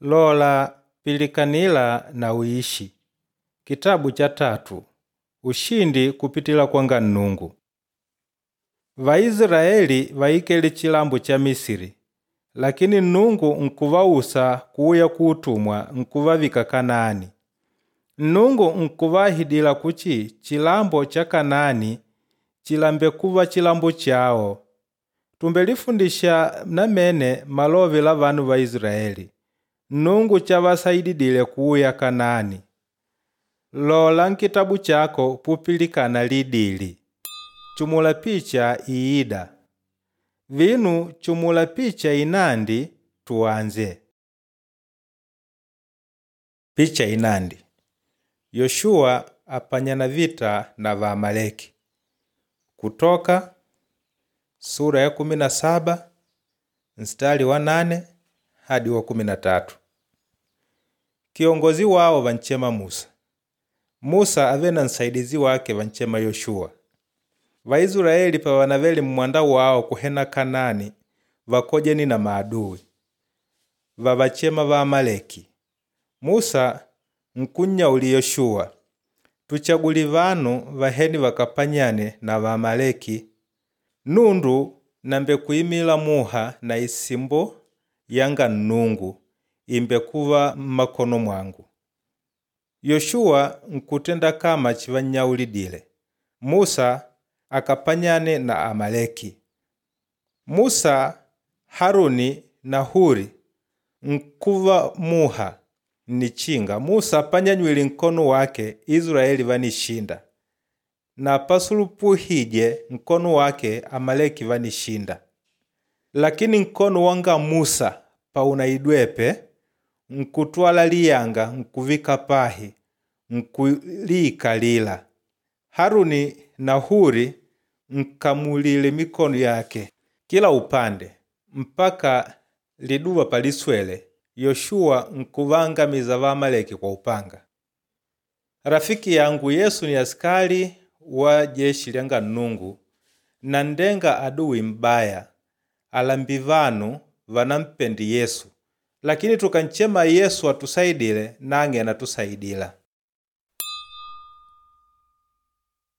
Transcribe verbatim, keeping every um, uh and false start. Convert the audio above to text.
Lola pilikanila na uishi. Kitabu cha tatu ushindi kupitila kwanga Nnungu. Vaisilaeli vaikele chilambo cha Misiri, lakini Nnungu nkuvausa kuuya kuutumwa nkuvavika Kanaani. Nnungu nkuvahidila kuchi chilambo cha Kanaani chilambe kuva chilambo chawo. Tumbelifundisha namene malove la vanu va Isilaeli, Nnungu chavasaididile kuuya Kanaani. Lola nkitabu chako pupilikana lidili. Chumula picha iida. Vinu chumula picha inandi tuanze. Picha inandi. Yoshuwa apanyana vita na Vaamaleki. Kutoka sura ya kumi na saba mstari wa nane hadi wa kumi na tatu. Kiongozi wao vanchema Musa. Musa ave na nsaidizi wake vanchema Yoshuwa. Vaisilaeli pavanavele mmwanda wao kuhena Kanaani vakojeni na maadui vavachema Vaamaleki. Musa nkunnyauli Yoshuwa, tuchaguli vanu vaheni vakapanyane na Vaamaleki nundu nambekuimila muha na isimbo yanga Nnungu imbekuva mmakono mwangu. Yoshuwa nkutenda kama chivannyaulidile. Musa akapanyane na Amaleki. Musa, Haruni na Huri nkuva muha nnichinga. Musa apanyanywile nkono wake Isilaeli vanishinda, na pasulupuhije nkono wake Amaleki vanishinda. Lakini nkono wanga Musa paunaidwepe nkutwala liyanga nkuvika pahi nkuliikalila. Haruni na Huri nkamulile mikono yake kila upande mpaka liduva paliswele. Yoshuwa nkuvangamiza Vaamaleki kwa upanga. Rafiki yangu Yesu ni askari wa jeshi lyanga Nnungu na ndenga aduwi mbaya alambi vanu vanampendi Yesu, lakini tukanchema Yesu atusaidile nange anatusaidila.